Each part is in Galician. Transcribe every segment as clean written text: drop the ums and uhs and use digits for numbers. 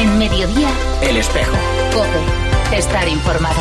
En Mediodía, El Espejo. COPE. Estar informado.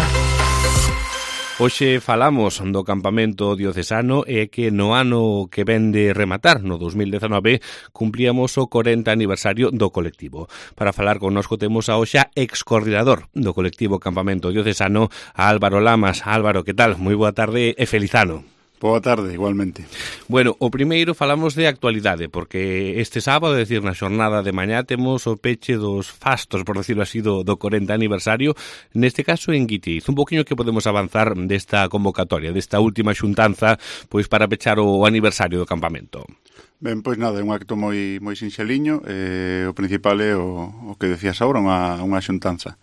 Hoxe falamos do campamento diocesano e que no ano que ven de rematar, no 2019, cumplíamos o 40 aniversario do colectivo. Para falar connosco temos a hoxe ex-coordinador do colectivo Campamento Diocesano, a Álvaro Lamas. Álvaro, que tal? Moi boa tarde e feliz ano. Boa tarde, igualmente. Bueno, o primeiro falamos de actualidade, porque este sábado, é dicir, na xornada de mañá, temos o peche dos fastos, por decirlo así, do 40 aniversario, neste caso en Guitiz. Un poquinho que podemos avanzar desta convocatoria, desta última xuntanza, pois para pechar o aniversario do campamento. Ben, pois nada, é un acto moi sinxeliño, o principal é o que decías agora, unha xuntanza.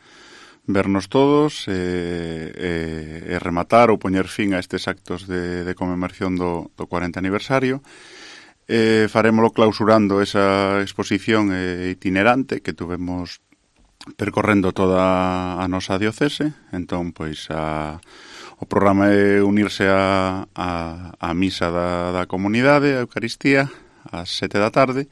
Vernos todos e rematar ou poñer fin a estes actos de conmemoración do 40 aniversario. Farémolo clausurando esa exposición itinerante que tuvemos percorrendo toda a nosa diocese. Entón, pois, o programa é unirse a misa da comunidade, a Eucaristía, ás 7 da tarde,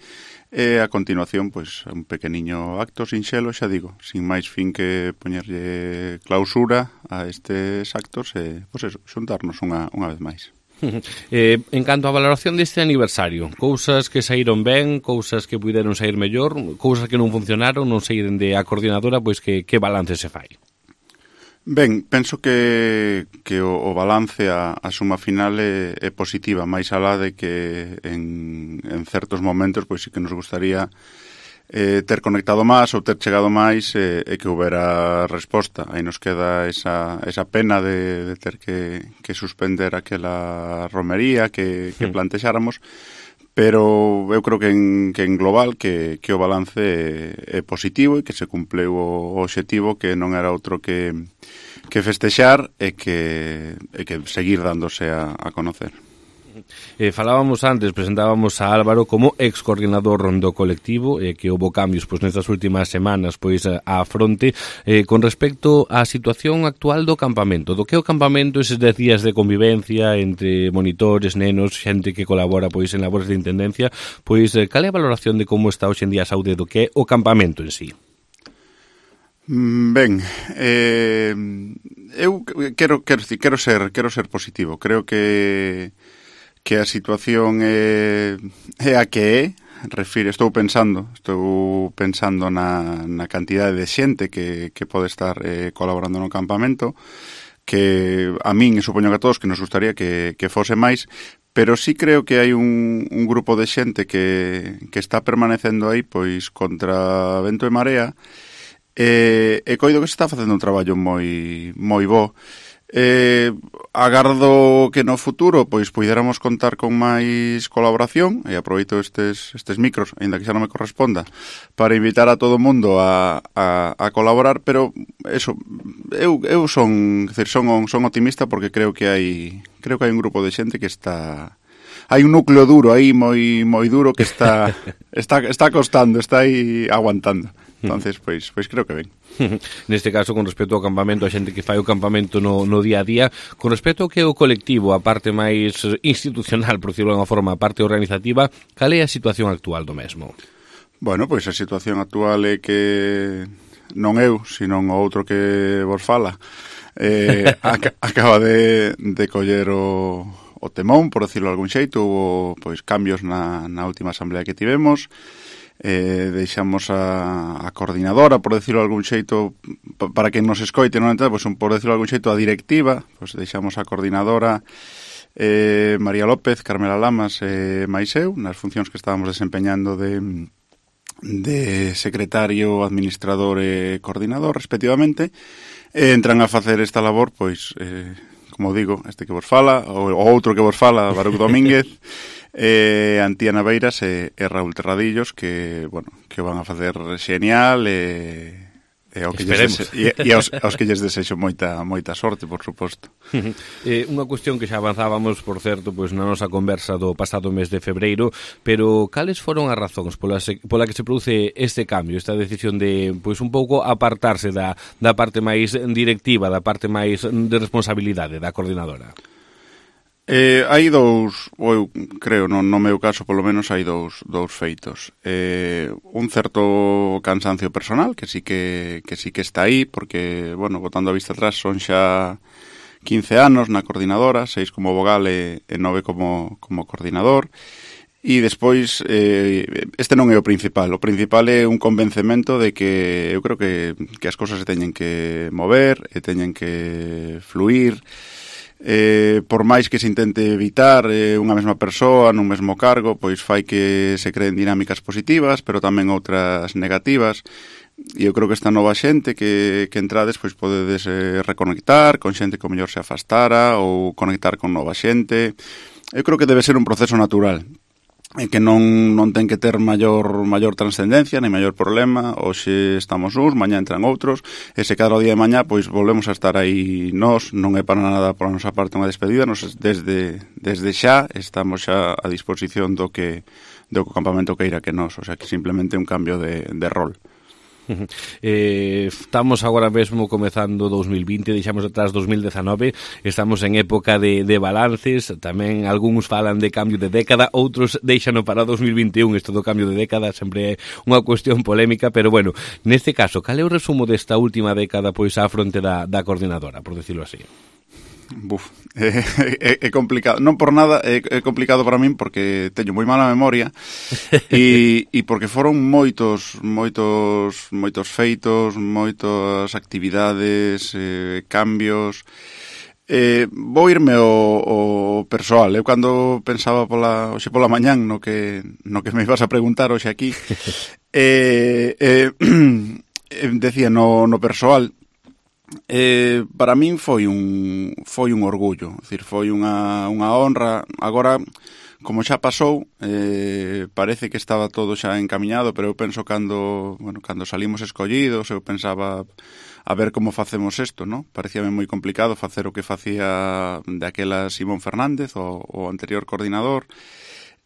e a continuación, pois, un pequeniño acto sinxelo, xa digo, sin máis fin que poñerlle clausura a estes actos e, pois eso, xuntarnos unha vez máis. En canto á valoración deste aniversario, cousas que saíron ben, cousas que puderon sair mellor, cousas que non funcionaron, non saíren de a coordinadora, pois que balance se fai? Ben, penso que o balance, a suma final é positiva, máis alá de que en certos momentos pois sí que nos gustaría ter conectado máis ou ter chegado máis e que houbera resposta. Aí nos queda esa pena de ter que suspender aquela romería que plantexáramos, pero eu creo que en global que o balance é positivo e que se cumpleu o obxectivo, que non era outro que festexar e que seguir dándose a conocer. Falábamos antes, presentábamos a Álvaro como ex-coordinador do colectivo, que houve cambios pois nestas últimas semanas pois á fronte, con respecto á situación actual do campamento. Do que é o campamento, eses 10 días de convivencia entre monitores, nenos, xente que colabora pois en labores de intendencia, pois cal é a valoración de como está hoxe en día a saúde do que é o campamento en sí? Ben, eu quero ser positivo. Creo que a situación é a que é. Estou pensando na cantidade de xente que pode estar colaborando no campamento, que a min e supoño que a todos que nos gustaría que fose máis, pero sí creo que hai un grupo de xente que está permanecendo aí pois contra vento e marea, e coido que se está facendo un traballo moi bo. Agardo que no futuro pois puidéramos contar con máis colaboración, e aproveito estes micros, aínda que xa non me corresponda, para invitar a todo o mundo a colaborar, pero eso, eu son optimista porque creo que hai un grupo de xente que está... Hai un núcleo duro aí, moi duro, que está costando, está aí aguantando. Entonces, pois creo que ben. Neste caso, con respecto ao campamento, a xente que fai o campamento no día a día, con respecto ao que é o colectivo, a parte máis institucional, por decirlo de unha forma, a parte organizativa, cal é a situación actual do mesmo? Bueno, pois a situación actual é que non eu, senón o outro que vos fala, acaba de coller o temón, por decirlo de algún xeito. Hubo pois cambios na última asamblea que tivemos. Deixamos a coordinadora, por decirlo de algún xeito, para que nos escoite, non entende, pois, por decirlo de algún xeito, a directiva, pois deixamos a coordinadora María López, Carmela Lamas e máis eu, nas funcións que estábamos desempeñando de secretario, administrador e coordinador, respectivamente, e entran a facer esta labor, pois, como digo, este que vos fala, o outro que vos fala, Baruch Domínguez, Antía Naveiras e Raúl Terradillos, que o van a facer xenial e aos que lles desexo moita sorte, por suposto. Unha cuestión que xa avanzábamos, por certo, pois na nosa conversa do pasado mes de febreiro, pero cales foron as razóns pola que se produce este cambio, esta decisión de pois un pouco apartarse da parte máis directiva, da parte máis de responsabilidade da coordinadora? Hai dous, ou eu creo, no meu caso, polo menos, hai dous feitos. Un certo cansancio personal, que sí que está aí, porque, bueno, botando a vista atrás, son xa 15 anos na coordinadora, 6 como vogal e 9 como coordinador. E despois, este non é o principal é un convencemento de que eu creo que as cousas se teñen que mover e teñen que fluir. Por máis que se intente evitar unha mesma persoa nun mesmo cargo, pois fai que se creen dinámicas positivas, pero tamén outras negativas. E eu creo que esta nova xente que entrades, pois podedes reconectar con xente que o mellor se afastara ou conectar con nova xente. Eu creo que debe ser un proceso natural, e que non ten que ter maior transcendencia, nem maior problema. Hoxe estamos uns, mañá entran outros, e se cada día de mañá, pois volvemos a estar aí nós. Non é para nada pola nosa parte unha despedida, nos desde xa estamos xa a disposición do que o campamento queira que nós, o sea que simplemente un cambio de rol. Estamos agora mesmo comezando 2020, deixamos atrás 2019, estamos en época de balances, tamén algúns falan de cambio de década, outros deixano para 2021, isto do cambio de década sempre é unha cuestión polémica, pero bueno, neste caso, cal é o resumo desta última década pois á fronte da coordinadora, por decirlo así? É complicado, non por nada é complicado para min, porque teño moi mala memoria e porque foron moitos feitos, moitas actividades, cambios. Vou irme ao persoal. Eu cando pensaba hoxe pola mañán no que me ibas a preguntar hoxe aquí, decía no persoal. Para min foi un orgullo, é dicir, foi unha honra. Agora, como xa pasou, parece que estaba todo xa encamiñado, pero eu penso cando salimos escollidos, eu pensaba a ver como facemos isto, non? Parecíame moi complicado facer o que facía daquela Simón Fernández, o anterior coordinador.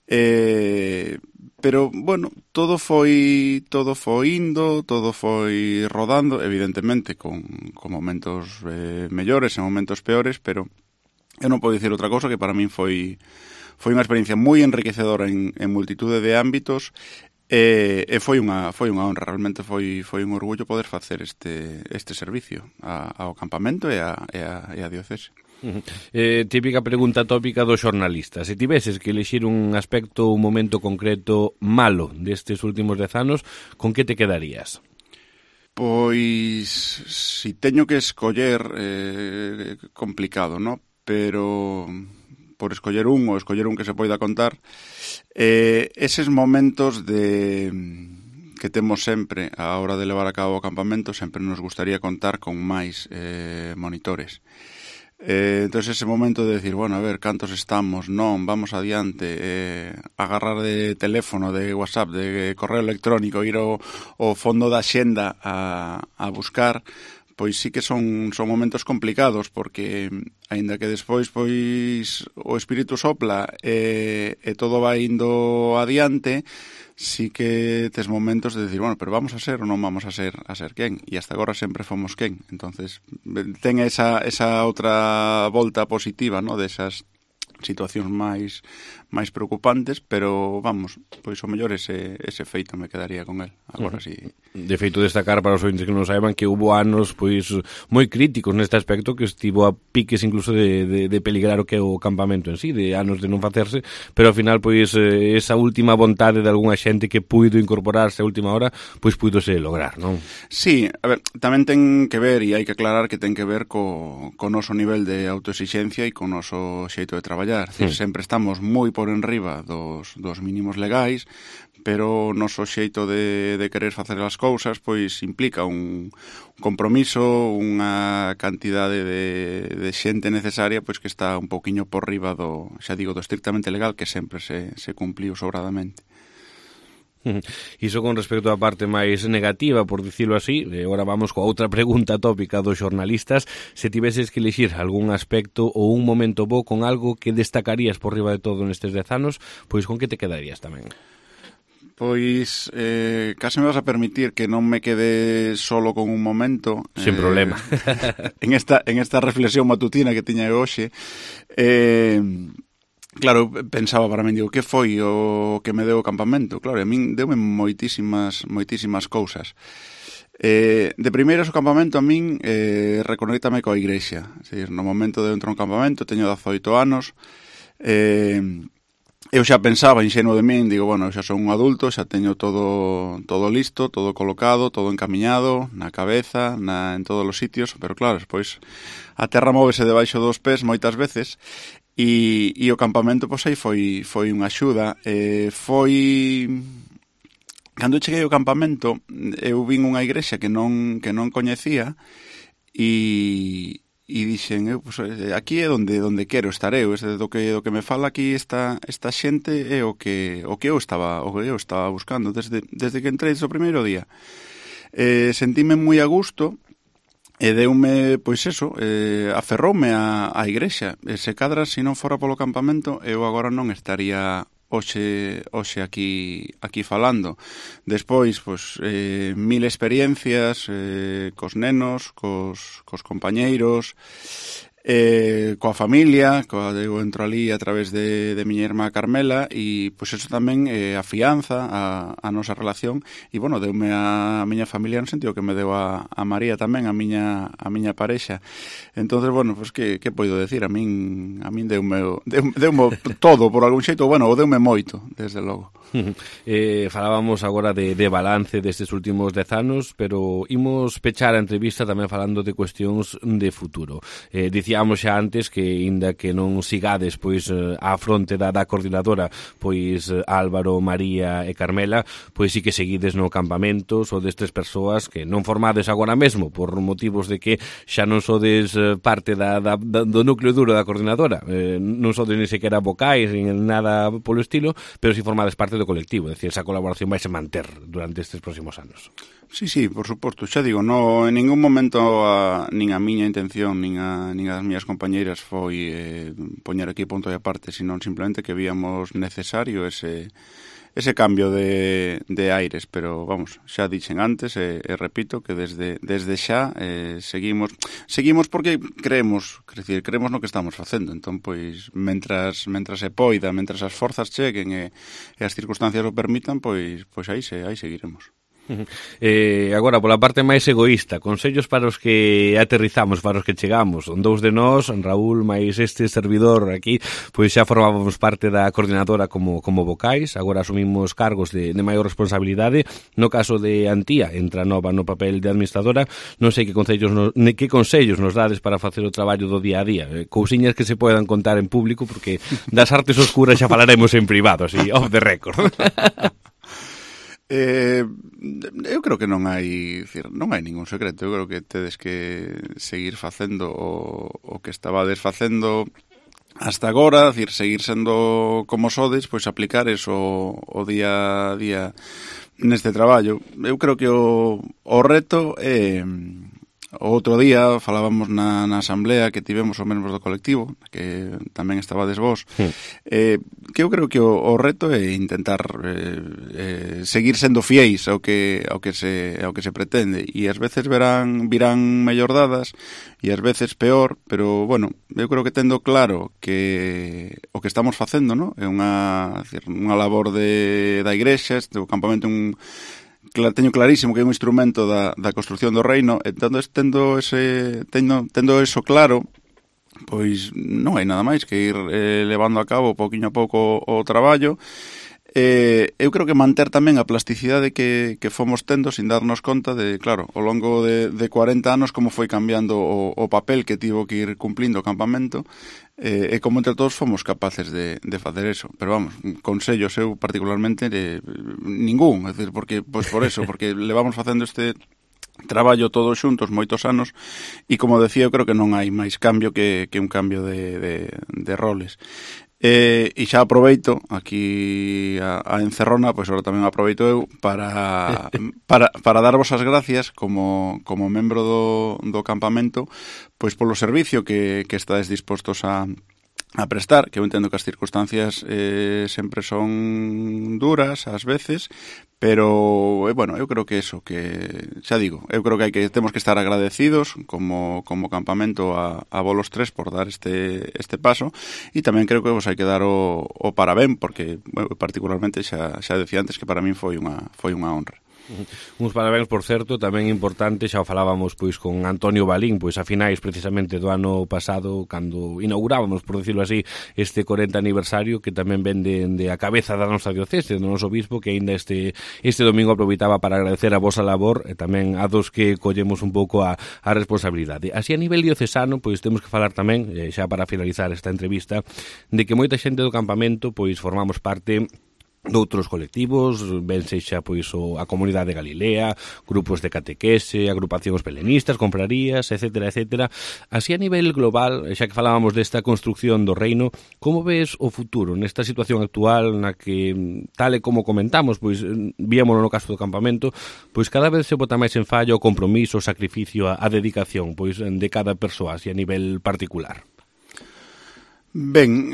Pero, bueno, todo foi indo, todo foi rodando, evidentemente con momentos mellores e momentos peores, pero eu non podo dicir outra cousa que para min foi unha experiencia moi enriquecedora en multitude de ámbitos, e foi unha honra, realmente foi un orgullo poder facer este servicio ao campamento e a diocese. Típica pregunta tópica dos xornalistas: se tiveses que elixir un aspecto, un momento concreto malo destes últimos 10 anos, con que te quedarías? Pois, si teño que escoller, complicado, ¿no? Pero por escoller un que se poida contar, eses momentos que temos sempre a hora de levar a cabo o campamento, sempre nos gustaría contar con máis monitores. Entonces ese momento de decir, bueno, a ver, cantos estamos, non, vamos adiante, agarrar de teléfono, de WhatsApp, de correo electrónico, ir ao fondo da xenda a buscar, pois sí que son momentos complicados, porque aínda que despois pois o espírito sopla e todo vai indo adiante, sí que tes momentos de decir, bueno, pero vamos a ser ou non vamos a ser quen? E hasta agora sempre fomos quen. Entonces, ten esa outra volta positiva, ¿no?, desas situacións máis preocupantes, pero vamos, pois o mellor ese feito me quedaría con el. Agora sí. De feito, destacar para os ointes que non saiban que hubo anos pois moi críticos neste aspecto, que estivo a piques incluso de peligrar o que é o campamento en sí, de anos de non facerse, pero ao final pois esa última vontade de algunha xente que puido incorporarse a última hora, pois puidose lograr, non? Sí, a ver, tamén ten que ver, e hai que aclarar que ten que ver co noso nivel de autoexixencia e co noso xeito de traballar. Sempre estamos moi por enriba dos mínimos legais, pero o noso xeito de querer facer as cousas pois implica un compromiso, unha cantidade de xente necesaria pois que está un pouquiño por riba do estrictamente legal, que sempre se cumpliu sobradamente. Iso con respecto á parte máis negativa, por dicilo así. Agora vamos coa outra pregunta tópica dos xornalistas: se tiveses que elixir algún aspecto ou un momento bo con algo que destacarías por riba de todo nestes 10 anos, pois con que te quedarías tamén? Pois case me vas a permitir que non me quede solo con un momento. Sin problema. en esta reflexión matutina que tiña hoxe, claro, pensaba para min, digo, que foi o que me deu o campamento? Claro, a min deume moitísimas cousas. De primeiras, o campamento a min reconectame coa igrexa. Es decir, no momento de entrar a un campamento, teño 18 anos, eu xa pensaba, inxenuo de min, digo, bueno, xa son un adulto, xa teño todo listo, todo colocado, todo encamiñado, na cabeza, en todos os sitios, pero claro, despois a terra móvese debaixo dos pés moitas veces, e o campamento, pois aí foi unha axuda. Cando cheguei ao campamento, eu vin unha igrexa que non coñecía, e dixen, pues, aquí é onde quero estar eu, do que me fala aquí esta xente é o que eu estaba buscando desde que entrei o primeiro día. Sentíme moi a gusto e deume, pois eso, aferroume a igrexa. Se cadra, se non fora polo campamento, eu agora non estaría hoxe aquí falando. Despois, pois, mil experiencias cos nenos, cos compañeiros, coa familia, eu entro ali a través de miña irmá Carmela, e pois eso tamén afianza a nosa relación, e bueno, deume a miña familia no sentido que me deu a María tamén, a miña parexa. Entonces, bueno, pois que poido decir? A min deume todo por algún xeito, bueno, o deume moito, desde logo. Falábamos agora de balance destes últimos 10 anos, pero imos pechar a entrevista tamén falando de cuestións de futuro. Dicíamos xa antes que, inda que non sigades pois á fronte da coordinadora, pois Álvaro, María e Carmela, pois sí que seguides no campamento, sodes tres persoas que non formades agora mesmo por motivos de que xa non sodes parte do núcleo duro da coordinadora, non sodes ni sequera vocais, nin nada polo estilo, pero si formades parte do colectivo, é dicir, esa colaboración vai se manter durante estes próximos anos. Sí, por suposto, xa digo, en ningún momento nin a miña intención, nin as miñas compañeiras foi poñer aquí punto de aparte, senón simplemente que víamos necesario ese cambio de aires, pero vamos, xa dixen antes e repito que desde xa seguimos porque creemos no que estamos facendo. Entón, pois, mentras se poida, mentras as forzas cheguen e as circunstancias o permitan, pois aí seguiremos. Agora, pola parte máis egoísta, consellos para os que aterrizamos, para os que chegamos. Dous de nós, Raúl, máis este servidor aquí, pois xa formábamos parte da coordinadora como vocais, agora asumimos cargos de maior responsabilidade. No caso de Antía, entra nova no papel de administradora. Non sei que consellos nos dades para facer o traballo do día a día, cousiñas que se podan contar en público, porque das artes oscuras xa falaremos en privado, así, off the record. Eu creo que non hai ningún secreto. Eu creo que tedes que seguir facendo o que estabades facendo hasta agora, decir, seguir sendo como sodes, pois aplicar eso o día a día neste traballo. Eu creo que o reto é... O outro día falábamos na asamblea que tivemos os membros do colectivo, que tamén estabades vos, que eu creo que o reto é intentar seguir sendo fiéis ao que se pretende, e ás veces virán mellor dadas e ás veces peor, pero bueno, eu creo que tendo claro que o que estamos facendo, ¿no? É unha labor da igrexa, o campamento teño clarísimo que é un instrumento da construción do reino, e tendo eso claro, pois non hai nada máis que ir levando a cabo pouquiño a pouco o traballo. Eu creo que manter tamén a plasticidade que fomos tendo sin darnos conta de, claro, ao longo de 40 anos como foi cambiando o papel que tivo que ir cumplindo o campamento, e como entre todos fomos capaces de facer eso. Pero vamos, consellos eu particularmente ningún, é dicir, porque levamos facendo este traballo todos xuntos moitos anos, e como decía, eu creo que non hai máis cambio que un cambio de roles. E xa aproveito aquí a encerrona, pois agora tamén aproveito eu para darvos as gracias como membro do campamento, pois polo servicio que estáis dispostos a a prestar, que eu entendo que as circunstancias sempre son duras ás veces, pero, bueno, eu creo que eso, que xa digo, eu creo que temos que estar agradecidos como campamento a Bolos 3 por dar este paso, e tamén creo que vos hai que dar o parabén, porque, bueno, particularmente xa decía antes que para min foi unha honra. Uns parabéns, por certo, tamén importante, xa o falábamos pois con Antonio Balín, pois a finais precisamente do ano pasado, cando inaugurábamos, por decirlo así, este 40 aniversario, que tamén vende a cabeza da nosa diocese, do noso bispo, que aínda este domingo aproveitaba para agradecer a vosa labor e tamén a dos que collemos un pouco a responsabilidade. Así a nivel diocesano, pois temos que falar tamén, xa para finalizar esta entrevista, de que moita xente do campamento pois formamos parte doutros colectivos, ben sexa pois a comunidade de Galilea, grupos de catequese, agrupacións pelenistas, confrarías, etcétera, etcétera. Así a nivel global, xa que falábamos desta construcción do reino, como ves o futuro nesta situación actual na que, tal e como comentamos, pois víamolo no caso do campamento, pois cada vez se bota máis en fallo o compromiso, o sacrificio, a dedicación pois de cada persoa, así a nivel particular? Ben,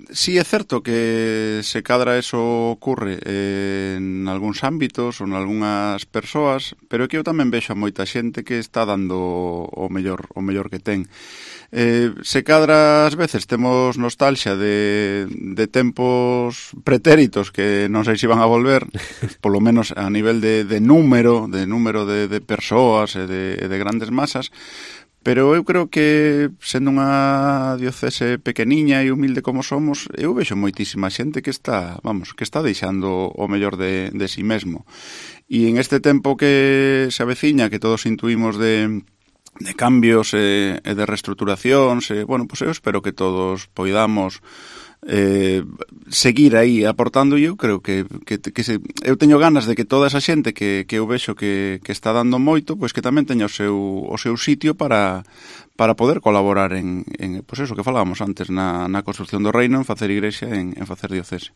sí é certo que se cadra eso ocurre en algúns ámbitos ou en algunhas persoas, pero é que eu tamén vexo a moita xente que está dando o mellor que ten. Se cadra ás veces temos nostalgia de tempos pretéritos que non sei se van a volver, polo menos a nivel de número de persoas e de grandes masas. Pero eu creo que, sendo unha diocese pequeniña e humilde como somos, eu vexo moitísima xente que está deixando o mellor de si mesmo. E en este tempo que se aveciña, que todos intuímos de cambios e de reestruturacións, bueno, pois eu espero que todos poidamos seguir aí aportando, e eu creo que eu teño ganas de que toda esa xente que eu vexo que está dando moito, pois que tamén teña o seu sitio para poder colaborar en pois eso que falábamos antes, na construcción do reino, en facer igrexa, en facer diocese.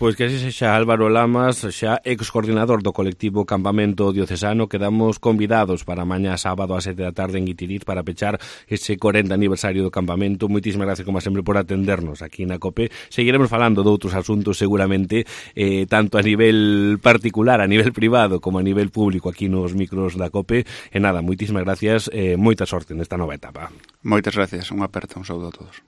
Pois que así sexa. Álvaro Lamas, xa ex-coordinador do colectivo Campamento Diocesano, quedamos convidados para mañá sábado a 7 da tarde en Guitiriz para pechar ese 40 aniversario do campamento. Moitísimas gracias, como sempre, por atendernos aquí na COPE. Seguiremos falando de outros asuntos seguramente, tanto a nivel particular, a nivel privado, como a nivel público aquí nos micros da COPE. E nada, moitísimas gracias, moita sorte nesta nova etapa. Moitas gracias, unha aperta, un saúdo a todos.